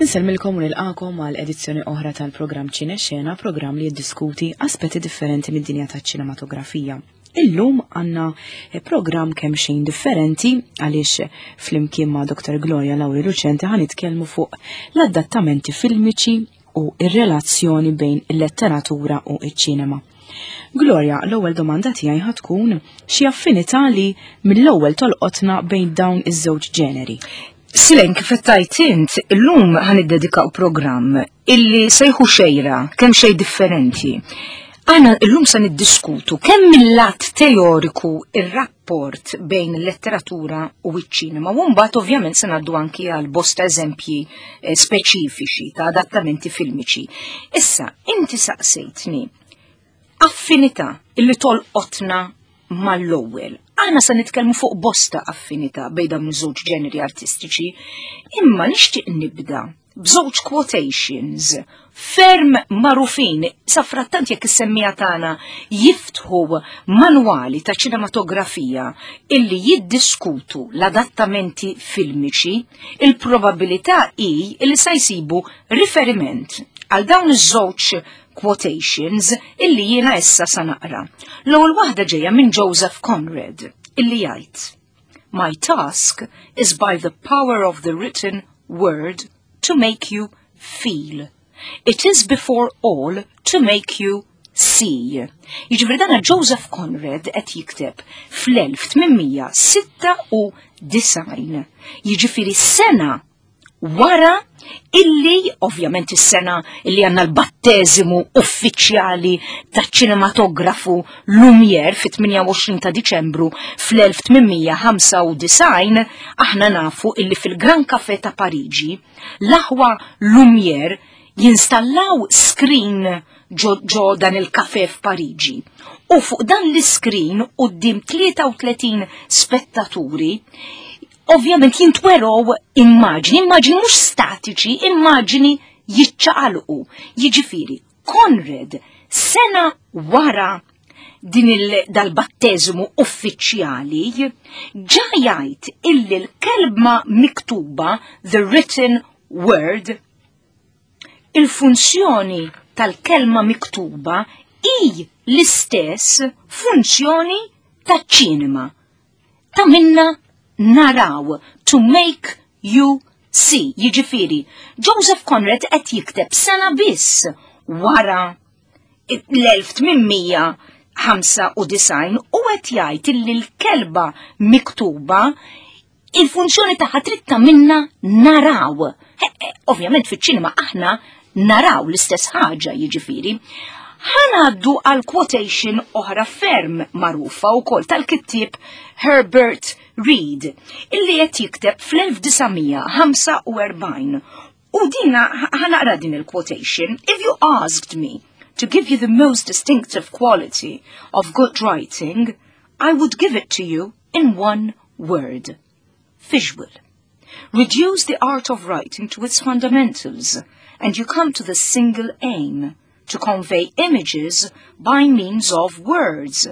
Insellmilkom u nilqakom għal edizzjoni oħra tal-programm Ċine Xena, programm li jiddiskuti aspetti differenti mid-dinja taċ-ċinematografija. Illum għanna eh, programm kemm xejn differenti għaliex flimkien ma' Dr. Gloria Lauri Lucente ħan nitkellmu fuq l-adattamenti filmiċi u ir-relazzjoni bejn il-letteratura u iċ-ċinema. Gloria, l-ewwel domanda tiegħi ħa tkun xi affinità li mill-ewwel tolqotna bejn dawn iż-żewġ ġeneri. Silen, kif qed tgħid int, illum ħa niddedikaw programm illi sejħu xejra kemm xejn differenti. Aħna illum se niddiskutu kemm mill-lat teoriku ir-rapport bejn il-letteratura u ċ-ċinema u mbagħad ovvjament se ngħaddu anki għal bosta eżempji eh, speċifiċi ta' adattamenti filmiċi. Issa, inti saqsejtni affinità illi tolqotna mal-ewwel. Aħna se nitkellmu fuq bosta affinità bejn dawn iż-żewġ ġeneri artistiċi, imma nixtieq nibda b'żewġ quotations ferm magħrufin sa frattant jekk is-semmija tagħna jiftħu manwali ta' ċinematografija illi jiddiskutu l-adattamenti filmiċi, il-probabilità hi illi sa jsibu riferiment għal dawn iż-żewġ quotations illi jiena issa sa naqra. L-ewwel waħda ġejja minn Joseph Conrad illi jgħid: My task is by the power of the written word to make you feel. It is before all to make you see. Jiġifieri dana Joseph Conrad qed jikteb fl-1896. Jiġifieri sena wara illi ovvjament is-sena illi għandna l-batteżimu uffiċjali taċ-ċinematografu Lumière fit-28 ta' Diċembru fl-1895 aħna nafu illi fil-Gran Café ta' Pariġi l-aħwa Lumière jinstallaw screen ġo, ġo dan il-kafe f'Pariġi. U fuq dan l-iskrin quddiem 33 spettaturi ovvjament jintwerow immaġni, immaġni mhux statiċi, immaġni jiċċaqalqu. Jiġifieri, Conrad sena wara din dal-batteżmu uffiċjali ġa jgħid illi l-kelma miktuba the written word il-funzjoni tal-kelma miktuba hi l-istess funzjoni taċ-ċinema ta' minna naraw, to make you see. Jiġifieri, Joseph Conrad qed jikteb sena biss wara l-1895 u qed jgħid illi l-kelba miktuba il-funzjoni tagħha trid ta' minna naraw. Ovvjament fiċ-ċinema aħna naraw l-istess ħaġa jiġifieri. Ħanaddu għal quotation oħra ferm magħrufa wkoll tal-kittieb Herbert Read illi qed jikteb fl-1945 U dina ħanaqra din il-quotation. If you asked me to give you the most distinctive quality of good writing, I would give it to you in one word. Visual. Reduce the art of writing to its fundamentals, and you come to the single aim to convey images by means of words,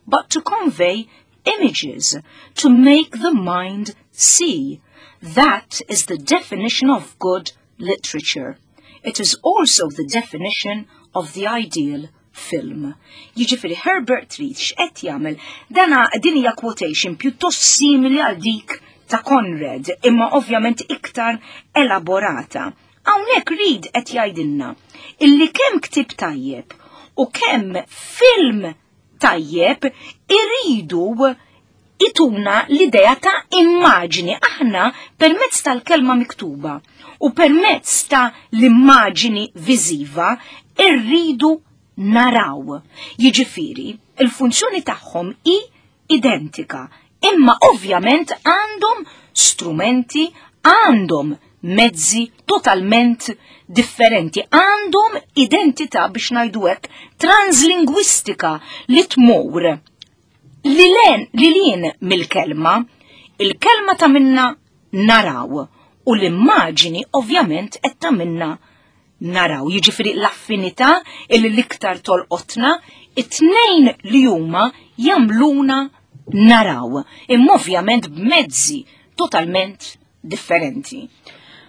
but to convey images, to make the mind see. That is the definition of good literature. It is also the definition of the ideal film. Jiġifieri Herbert Read x'qed jagħmel dana din hija quotation pjuttost simili għal dik ta' Conrad, imma ovvjament iktar elaborata. Hawnhekk Read qed jgħidilna illi kemm ktieb tajjeb u kemm film tajjeb iridu ituna l-idea ta' immaġini aħna permezz tal-kelma miktuba u permezz ta' l-immaġini viżiva irridu naraw. Jiġifieri, il-funzjoni tagħhom hi identika, imma ovvjament għandhom strumenti, għandhom mezzi totalment differenti, għandhom identità biex ngħidu hekk translingwistika li tmur li len li lin mill-kelma, il-kelma ta' minna naraw u l-immaġini ovvjament qed ta' minna naraw. Jiġifieri l-affinità illi l-iktar tolqotna, it-tnejn li huma jagħmluna naraw, imma ovvjament b'mezzi totalment differenti.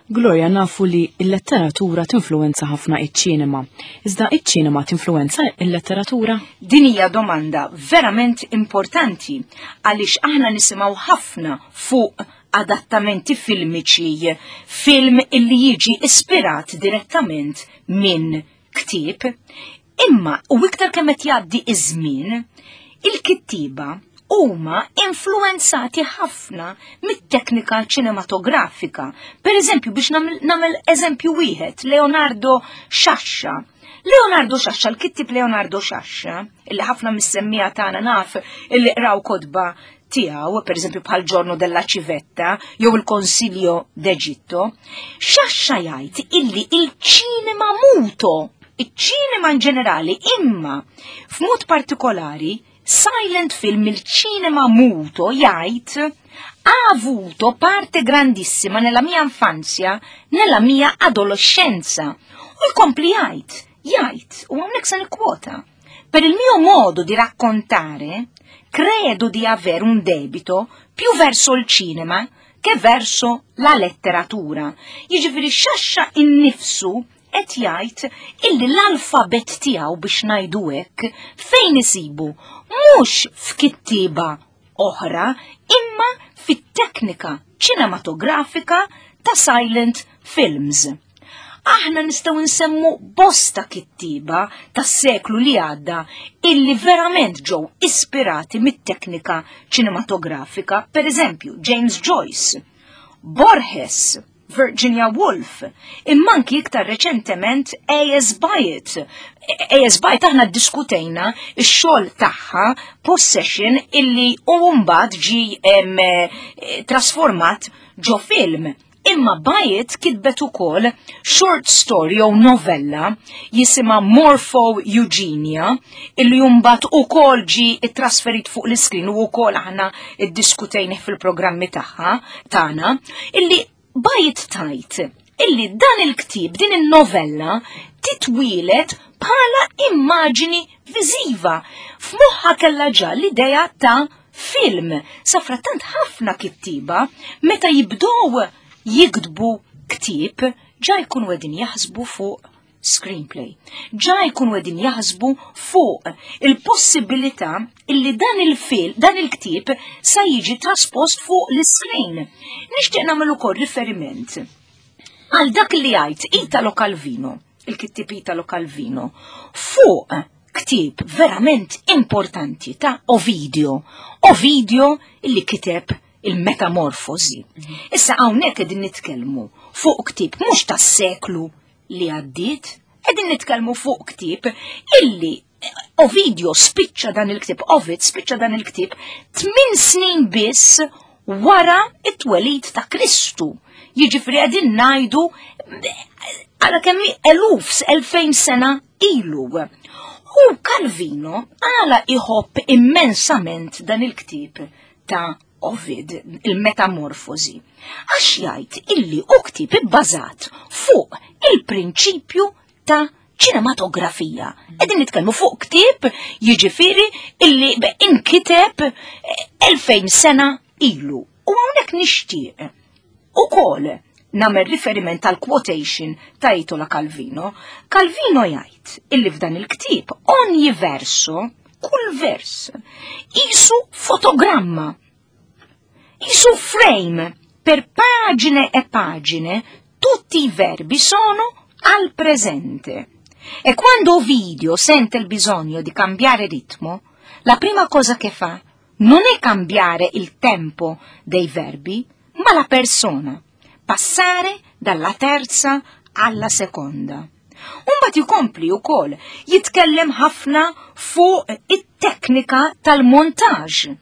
Gloria nafu li l-letteratura tinfluwenza ħafna iċ-ċinema. Iżda iċ-ċinema tinfluwenza l-letteratura? Din hija domanda verament importanti għaliex aħna nisimgħu ħafna fuq adattamenti filmiċi, film illi jiġi ispirat direttament minn ktieb. Imma u iktar kemm qed jgħaddi iż-żmien, il-kittieba huma influenzati ħafna mit-teknika ċinematografika. Per eżempju, biex nagħmel eżempju wieħed, Leonardo Sciascia. Leonardo Sciascia, l-kittib Leonardo Sciascia, illi ħafna mis-semmija tagħna naf illi qraw kotba tiegħu, per eżempju bħal Giorno della Civetta jew il-Consiglio d'Egitto, Sciascia jgħid illi il-ċinema muto, iċ-ċinema in ġenerali, imma f'mod partikolari silent film il-ċinema muto jgħid ha avuto parte grandissima nella mia infanzia, nella mia adolescenza. U jkompli jgħid, jgħid, u hawnhekk se nikkwota. Per il mio modo di raccontare, credo di avere un debito più verso il cinema che verso la letteratura. Jiġifieri Sciascia innifsu qed jgħid illi l-alfabet tiegħu biex ngħidu hekk fejn isibu mhux f'kittieba oħra imma fit-teknika ċinematografika ta' silent films. Aħna nistgħu nsemmu bosta kittieba tas-seklu li għadda illi verament ġew ispirati mit-teknika ċinematografika, per eżempju James Joyce, Borges, Virginia Woolf, imma anki iktar reċentement A.S. Byatt. A.S. Byatt aħna ddiskutejna x-xogħol tagħha Possession illi u mbagħad ġi eh, trasformat ġo film. Imma Byatt kitbet ukoll short story jew novella jisimha Morpho Eugenia illi mbagħad ukoll ġi trasferit fuq l-iskrin u wkoll aħna iddiskutejnih fil-programmi tagħha tagħna illi Byatt tajt illi dan il-ktieb din in-novella titwielet bħala immaġini viżiva. F'moħħa kellha ġa l-idea ta' film. Safrattant ħafna kittiba meta jibdow jiktbu ktieb ġa jkunu qegħdin jaħsbu fuq screenplay. Ġa jkunu qegħdin jaħsbu fuq il-possibilità illi dan il-fil, dan il-ktieb sa jiġi traspost fuq l-screen. Nixtieq nagħmel ukoll riferiment għal dak li jgħid Italo Calvino, il-kittieb Italo Calvino, fuq ktieb verament importanti ta' Ovidio. Ovidio illi kiteb il-metamorfosi. Issa hawnhekk qegħdin nitkellmu fuq ktieb mhux tas-seklu li għaddiet, qegħdin nitkellmu fuq ktieb illi Ovidio spiċċa dan il-ktieb, Ovid spiċċa dan il-ktieb tmien snin biss wara it-twelid ta' Kristu. Jiġifieri qegħdin ngħidu għala kemm eluf, 2000 sena ilu. U Calvino għala iħobb immensament dan il-ktieb ta' Ovid, il-metamorfosi, għax jgħid illi hu ktieb ibbażat fuq il-prinċipju ta' ċinematografija. Qegħdin nitkellmu fuq ktieb jiġifieri illi inkiteb 2000 sena ilu. U hawnhekk nixtieq ukoll nagħmel riferiment tal quotation ta' Italo Calvino. Calvino jgħid illi f'dan il-ktieb ogni verso, kull vers, isu fotogramma, isu frame per pagine e pagine tutti i verbi sono al presente. E quando Ovidio sente il bisogno di cambiare ritmo, la prima cosa che fa non è cambiare il tempo dei verbi, ma la persona, passare dalla terza alla seconda. Umbagħad jkompli wkoll jitkellem ħafna fuq it-teknika tal-montaġġ.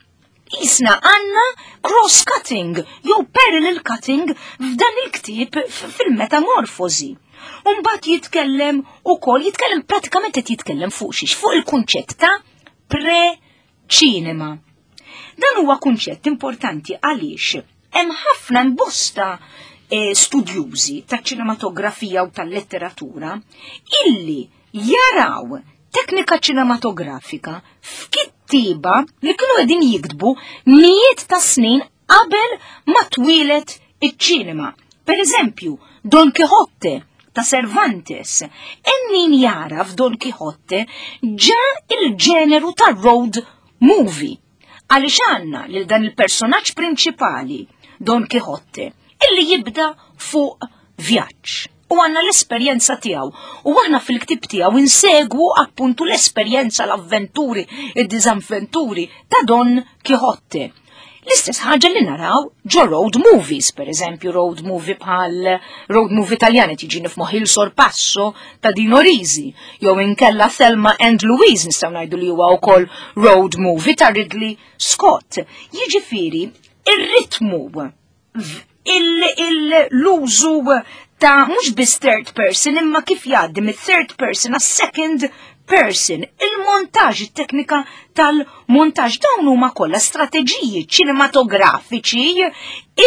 Isna għanna cross-cutting jew parallel cutting f'dan il-ktieb fil-metamorfosi. Umbagħad jitkellem ukoll, jitkellem pratikament qed jitkellem fuq xiex, fuq il-kunċett ta' pre-ċinema. Dan huwa kunċett importanti għaliex hemm ħafna imbosta eh, studjużi taċ-ċinematografija u tal-letteratura illi jaraw teknika ċinematografika f'kittieba li kienu qegħdin jiktbu mijiet ta' snin qabel ma twieled iċ-ċinema. Per eżempju, Don Quixote ta' Cervantes. Hemm min jara f'Don Quixote ġa il-ġeneru ta' road movie. Għaliex għandna lil dan il-personaġġ prinċipali, Don Quixote, illi jibda fuq vjaġġ. U għanna l-esperjenza tiegħu. U aħna fil-ktib tiegħu insegwu appuntu l-esperjenza, l-avventuri, id-diżavventuri ta' Don Quixote. L-istess ħaġa li naraw ġo road movies, per eżempju road movie bħal road movie Taljani tiġi nifmoħ il Sorpasso ta' Dino Risi, jew inkella Thelma and Louise nistgħu ngħidu li huwa wkoll road movie ta' Ridley Scott. Jiġifieri ir-ritmu l-użu ta' mhux biss third person imma kif jgħaddi mit-third person għas second person, il-montaġ, it-teknika tal-montaġ dawn huma kollha strateġiji ċinematografiċi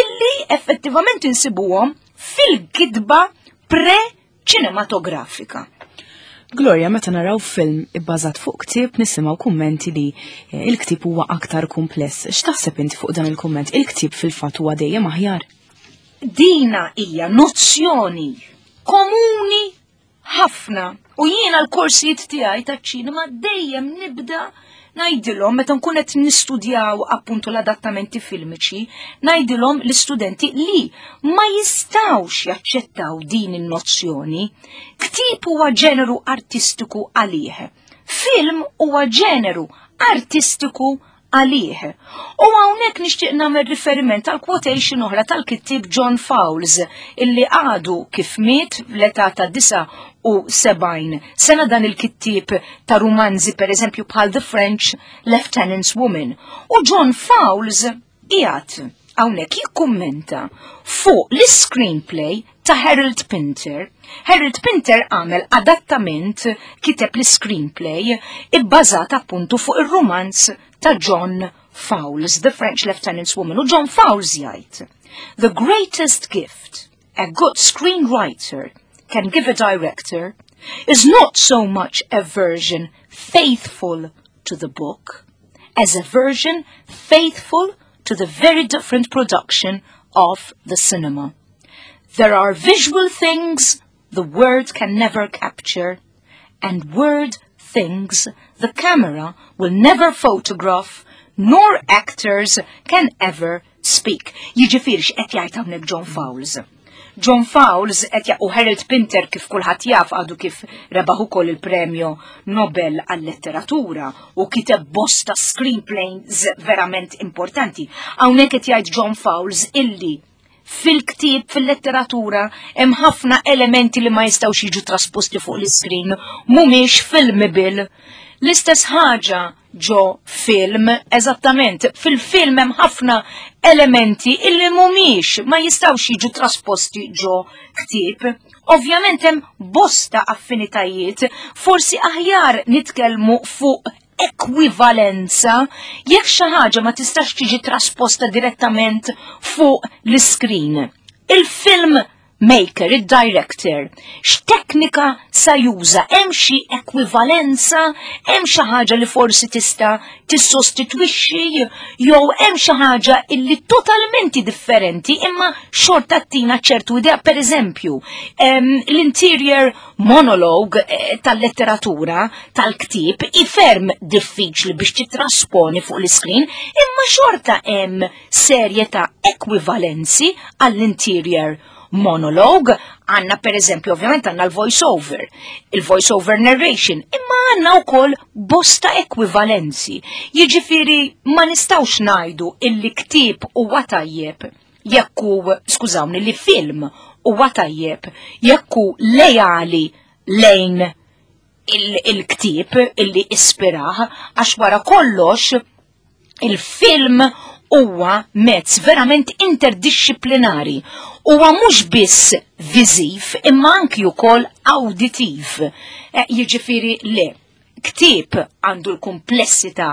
illi effettivament insibuhom fil-kitba pre-ċinematografika. Gloria, meta naraw film ibbażat fuq ktieb nisimgħu kummenti li eh, il-ktieb huwa aktar kumpless. X'taħseb inti fuq dan il-kumment? Il-ktieb fil-fatt huwa dejjem aħjar? Dina hija nozzjoni komuni ħafna u jiena l-korsijiet tiegħi taċ-ċinema dejjem nibda ngħidilhom meta nkun qed nistudjaw appuntu l-adattamenti filmiċi, ngħidilhom l-istudenti li ma jistgħux jaċċettaw din in-nozzjoni. Ktieb huwa ġeneru artistiku għalih. Film huwa ġeneru artistiku għalih. U hawnhekk nixtieq nagħmel riferiment għal quotation oħra tal-kittieb John Fowles illi għadu kif miet fl-età ta' 79 sena dan il-kittieb ta' rumanzi per eżempju bħal The French Lieutenant's Woman. U John Fowles qiegħed hawnhekk jikkummenta fuq l-screenplay ta' Harold Pinter. Harold Pinter għamel adattament kiteb l-screenplay ibbażat appuntu fuq ir-romanz ta' John Fowles, The French Lieutenant's Woman. U John Fowles jgħid, The greatest gift a good screenwriter can give a director is not so much a version faithful to the book as a version faithful to the very different production of the cinema. There are visual things the word can never capture, and word things the camera will never photograph, nor actors can ever speak. Jiġifieri x'qed jgħid hawnhekk John Fowles. John Fowles qed u Harold Pinter kif kulħadd jaf għadu kif rebaħ ukoll il-Premju Nobel għal-letteratura u kiteb bosta screenplays verament importanti. Hawnhekk qed jgħid John Fowles illi fil-ktieb, fil-letteratura, hemm ħafna elementi li ma jistgħux jiġu trasposti fuq l-iskrin, mhumiex filmable. L-istess ħaġa ġo film, eżattament, fil-film hemm ħafna elementi illi mhumiex ma jistgħux jiġu trasposti ġo ktieb. Ovvjament hemm bosta affinitajiet, forsi aħjar nitkellmu fuq ekwivalenza jekk xi ħaġa ma tistax tiġi trasposta direttament fuq l-iskrin. Il-film maker, il-director, x'teknika sa juża, hemm xi ekwivalenza, hemm xi ħaġa li forsi tista' tissostitwixxi jew hemm xi ħaġa illi totalment differenti imma xorta tina ċertu idea, per eżempju, l-interior monologue eh, tal-letteratura tal-ktieb iferm diffiċli biex titrasponi fuq l-iskrin, imma xorta hemm serje ta' ekwivalenzi għall-interior monologue, għanna per eżempju ovvjament għanna l-voice over, il-voice over narration, imma għanna u koll bosta ekwivalenzi. Jiġifieri ma nistawx najdu illi ktieb huwa tajjeb jekk hu, skużawni, li film huwa tajjeb jekk hu lejali lejn il-ktieb illi ispirah, għax wara kollox il-film huwa mezz verament interdixxiplinari. Huwa mhux biss viżiv imma anki wkoll awditiv. Eh, jiġifieri le, ktieb għandu l-kumplessità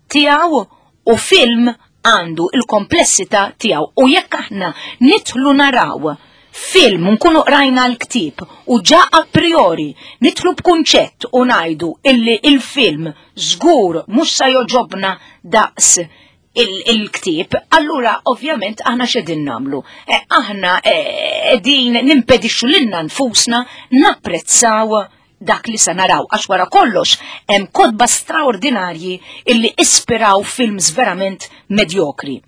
tiegħu u film għandu il-komplessità tiegħu. U jekk aħna nidħlu naraw film nkunu qrajna l-ktieb u ġa a priori nidħlu b'kunċett u ngħidu illi il-film żgur mhux sa joġobna daqs il-ktieb, allura ovvjament aħna x'qegħdin nagħmlu? Eh, aħna eh, qegħdin nimpedixxu lilna nfusna napprezzaw dak li se naraw għax wara kollox hemm kotba straordinarji illi ispiraw films verament medjokri.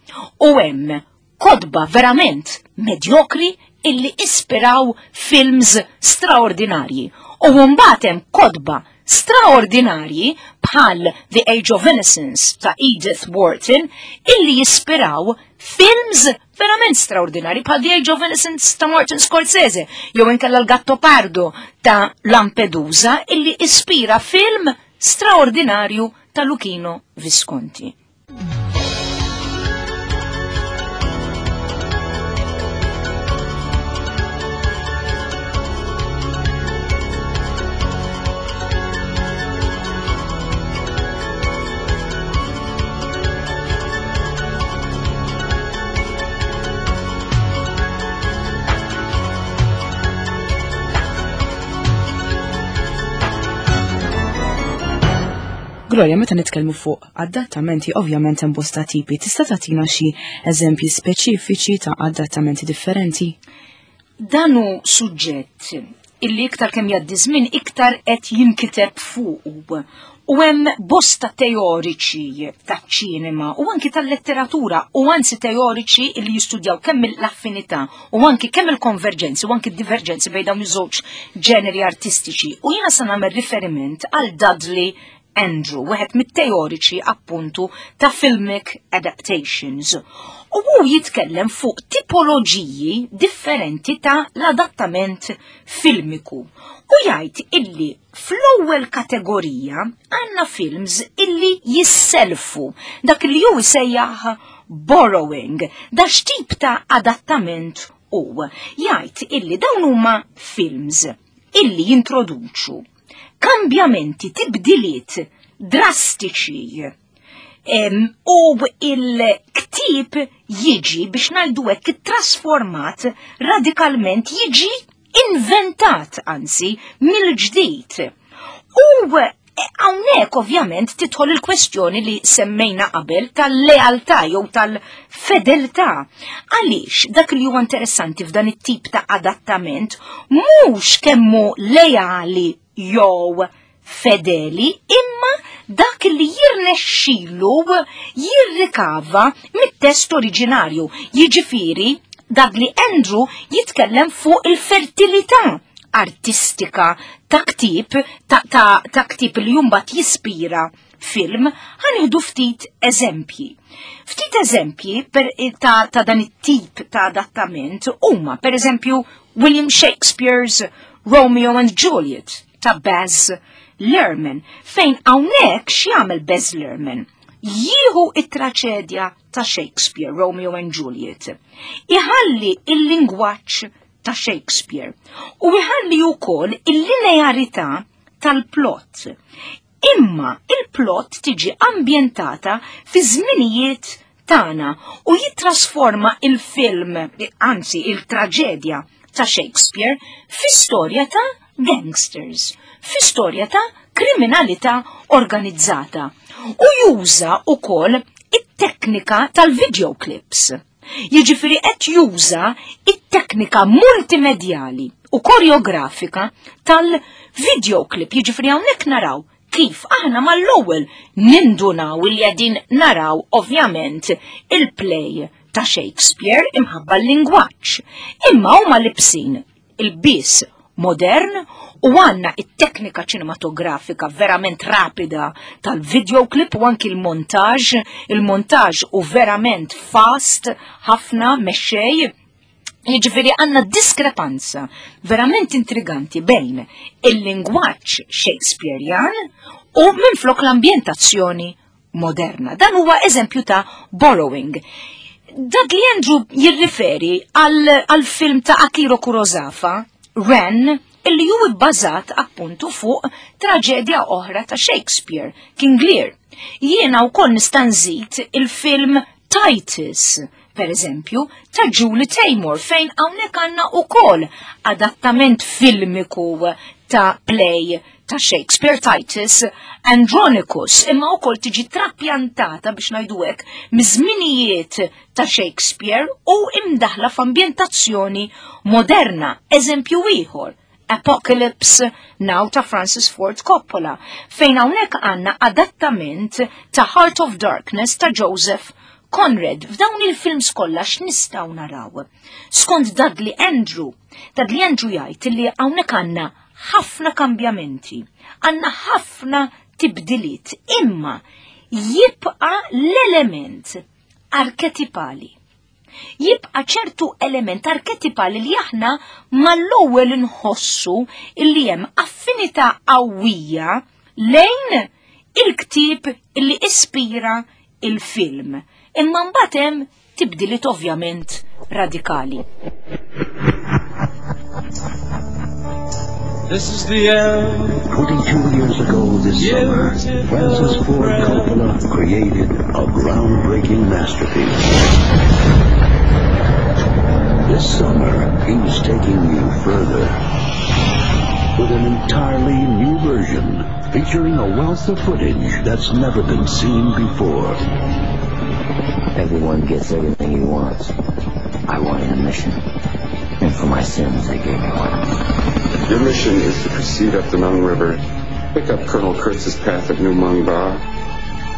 U hemm kotba verament medjokri illi ispiraw films straordinarji. U mbagħad hemm kotba straordinarji bħal The Age of Innocence ta' Edith Wharton illi jispiraw films verament straordinarji bħal The Age of Innocence ta' Martin Scorsese jew inkella l-Gatto Pardo ta' Lampedusa illi ispira film straordinarju ta' Luchino Visconti. Gloria, meta nitkellmu fuq adattamenti ovvjament hemm bosta tipi, tista' tagħtina xi eżempji speċifiċi ta' adattamenti differenti? Dan hu suġġett illi iktar kemm jgħaddi żmien iktar qed jinkiteb fuqu. U hemm bosta teoriċi taċ-ċinema u anki tal-letteratura u anzi teoriċi li jistudjaw kemm l-affinità u anki kemm il-konverġenzi u anki d-diverġenzi bejn dawn iż-żewġ ġeneri artistiċi. U jiena se nagħmel riferiment għal Dudley Andrew, wieħed mit-teoriċi appuntu ta' filmic adaptations. U hu jitkellem fuq tipoloġiji differenti ta' l-adattament filmiku. U jgħid illi fl-ewwel kategorija għandna films illi jisselfu dak li hu jsejjaħ borrowing, da x'tip ta' adattament hu. Jgħid illi dawn huma films illi jintroduċu kambjamenti, tibdiliet drastiċi. U il-ktib jiġi biex ngħidu hekk trasformat radikalment jiġi inventat anzi mill-ġdid. U hawnhekk ovvjament tidħol il-kwestjoni li semmejna qabel tal-lealtà jew tal-fedeltà. Għaliex dak li huwa interessanti f'dan it-tip ta' adattament mhux kemmu leali jew fedeli imma dak li jirnexxilu jirrikava mit-test oriġinarju. Jiġifieri dak li Andrew jitkellem fuq il-fertilità artistika ta' ktib ta', ta, ta ktib li jumbat jispira film, ħanieħdu ftit eżempji. Ftit eżempji per, ta', ta dan it-tip ta' adattament huma, per eżempju, William Shakespeare's Romeo and Juliet ta' Baz Luhrmann, fejn hawnhekk x'jagħmel Baz Luhrmann? Jieħu it-traċedja ta' Shakespeare, Romeo and Juliet. Iħalli il-lingwaġġ ta' Shakespeare u iħalli wkoll il-linearità tal-plot. Imma il-plot tiġi ambjentata fi żminijiet tagħna u jittrasforma il-film, anzi il-traġedja ta' Shakespeare fi storja ta' gangsters, fi storja ta' kriminalità organizzata u juża wkoll it-teknika tal-videoclips. Jiġifieri qed juża it-teknika multimedjali u koreografika tal-videoclip. Jiġifieri hawnhekk naraw kif aħna mal-ewwel nindunaw li qegħdin naraw ovvjament il-play ta' Shakespeare imħabba l-lingwaġġ. Imma huma libsin il-biss modern u għanna it-teknika ċinematografika verament rapida tal-videoclip u anki l-montaġ, il-montaġ u verament fast ħafna mexxej. Jiġifieri għandna diskrepanza verament intriganti bejn il-lingwaġġ Shakespearean u minflok l-ambjentazzjoni moderna. Dan huwa eżempju ta' borrowing. Dudley Andrew jirriferi għal film ta' Akiro Kurosawa, Ren, illi hu bbażat appuntu fuq traġedja oħra ta' Shakespeare, King Lear. Jiena wkoll nista' nżid il-film Titus, per eżempju, ta' Julie Taymor, fejn hawnhekk għandna wkoll adattament filmiku ta' play ta' Shakespeare Titus Andronicus, imma wkoll tiġi trapjantata biex ngħidu hekk miż-żminijiet ta' Shakespeare u imdaħla f'ambjentazzjoni moderna. Eżempju ieħor, Apocalypse Now ta' Francis Ford Coppola, fejn hawnhekk għandna adattament ta' Heart of Darkness ta' Joseph Conrad. F'dawn il-films kollha x'nistgħu naraw? Skont Dudley Andrew, Dudley Andrew jgħid li hawnhekk għandna ħafna kambjamenti, għandna ħafna tibdiliet, imma jibqa' l-element arketipali. Jibqa' ċertu element arketipali li aħna mal-ewwel inħossu illi hemm affinità qawwija lejn il-ktieb illi ispira il-film. Imma mbagħad hemm tibdiliet ovvjament radikali. This is the end. 22 years ago this summer, Francis Ford Coppola created a groundbreaking masterpiece. This summer, he's taking you further with an entirely new version featuring a wealth of footage that's never been seen before. Everyone gets everything he wants. I wanted a mission. And for my sins, they gave me one. Your mission is to proceed up the Nung River, pick up Colonel Kurtz's path at New Mung Ba,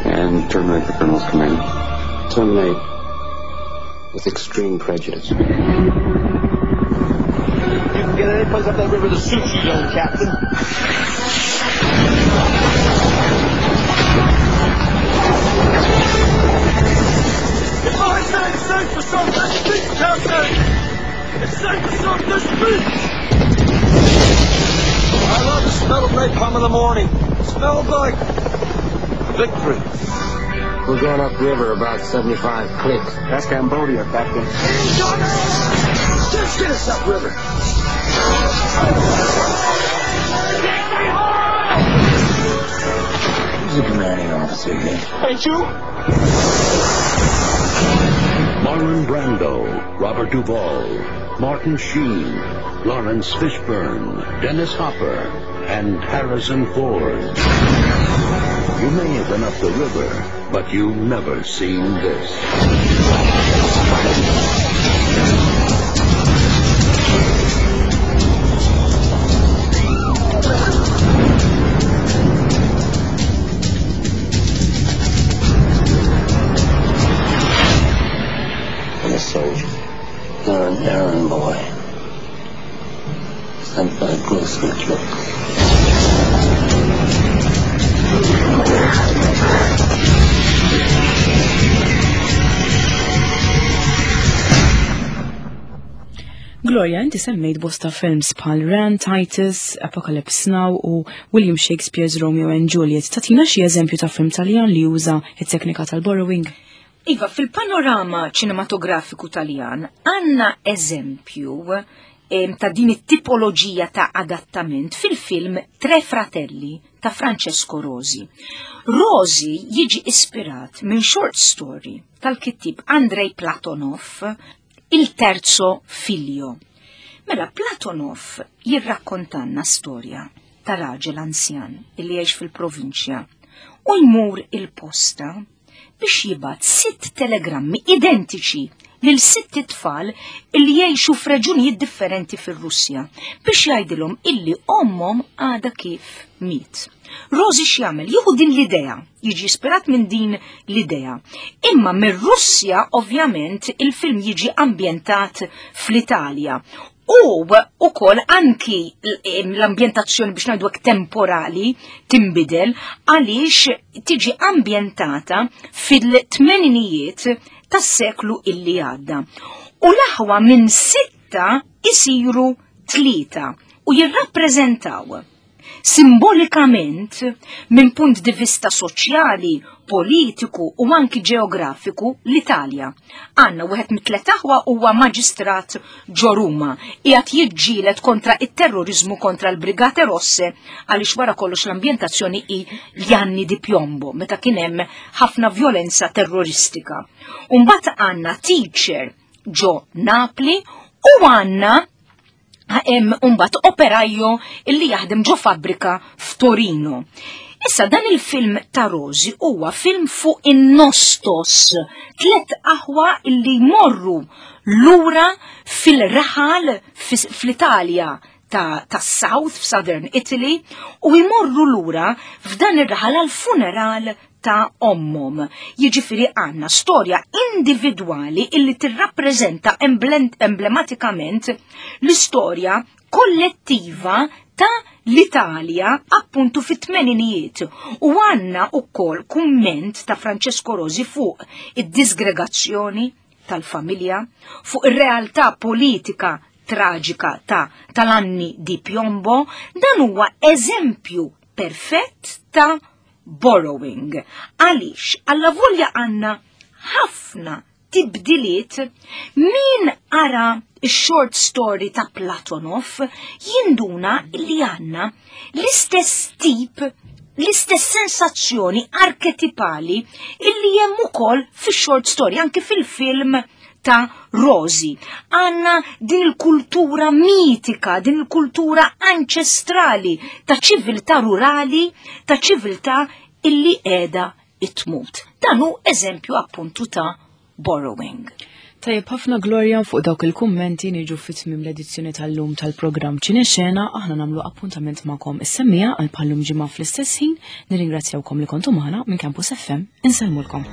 and terminate the Colonel's command. Terminate with extreme prejudice. You can get any place up that river that suits you, young captain. If I say it's safe for some this beach, Captain! It's safe for some this beach! I love the smell of napalm in the morning. It smells like victory. We're going upriver about 75 clicks. That's Cambodia, Captain. Just get us upriver. Who's the commanding officer here? Ain't you? Marlon Brando, Robert Duvall, Martin Sheen, Lawrence Fishburne, Dennis Hopper, and Harrison Ford. You may have been up the river, but you've never seen this. I'm a soldier, not an errand boy. Sent by Grossman Gloria, inti semmejt bosta films bħal Ran, Titus, Apocalypse Now u William Shakespeare's Romeo and Juliet. Tatina xi eżempju ta' film Taljan li juża it-teknika tal-borrowing? Iva, fil-panorama ċinematografiku Taljan għandna eżempju ta' din it-tipoloġija ta' adattament fil-film Tre Fratelli ta' Francesco Rosi. Rosi jiġi ispirat minn short story tal-kittib Andrei Platonov, Il Terzo Figlio. Mela Platonov jirrakkontanna storja ta' raġel anzjan illi jgħix fil-provinċja u jmur il-posta biex jibgħat sitt telegrammi identiċi lil sitt itfal illi jgħixu f'reġunijiet differenti fir-Russja biex jgħidilhom illi ommhom għadha kif miet. Rosi x'jagħmel? Jieħu din l-idea, jiġi ispirat minn din l-idea. Imma mir-Russja ovvjament il-film jiġi ambjentat fl-Italja. U ukoll anki l-ambjentazzjoni biex ngħidu hekk temporali tinbidel għaliex tiġi ambjentata fil-tmeninijiet tas-seklu illi għadda. U l-aħwa minn sitta isiru tlieta u jirrappreżentaw Simbolikament, minn punt di vista soċjali, politiku u anki ġeografiku, l-Italja. Għandna wieħed mit-tliet aħwa huwa maġistrat ġo Ruma, qiegħed jiġġieled kontra it-terroriżmu kontra l-Brigate Rosse għaliex wara kollox l-ambjentazzjoni hi l-anni di piombo meta kien hemm ħafna vjolenza terroristika. U mbagħad għandna teacher ġo Napli u għandna. Hemm mbagħad operajo illi jaħdem ġo fabbrika f'Torino. Issa dan il-film ta' Rosi huwa film fuq in-nostos, tlet aħwa illi jmorru lura fil-raħal fl-Italja ta', ta South, f'Southern Italy, u jmorru lura f'dan ir-raħal għal funeral ta' ommhom. Jiġifieri għandna storja individwali illi tirrappreżenta emblematikament l-istorja kollettiva ta' l-Italja appuntu fit-tmeninijiet u għandna ukoll kumment ta' Francesco Rosi fuq id-disgregazzjoni tal-familja, fuq ir-realtà politika traġika ta' tal-anni di piombo, dan huwa eżempju perfett ta' borrowing. Għaliex, alla volja għanna ħafna tibdiliet min ara short story ta' Platonov jinduna li għanna l-istess tip l-istess sensazzjoni arketipali illi hemm ukoll fix-short story anke fil-film ta' Rosi. Għanna din il-kultura mitika, din il-kultura anċestrali ta' ċiviltà rurali, ta' ċiviltà illi qiegħda itmut. Dan hu eżempju appuntu ta' borrowing. Tajjeb ħafna Gloria fuq dawk il-kummenti niġu fit-tmiem l-edizzjoni tal-lum tal-programm Ċinexena, aħna nagħmlu appuntament magħkom is-semmija għal bħallum ġimgħa fl-istess ħin, nirringrazzjawkom li kontu magħna minn Campus FM, insellmulkom.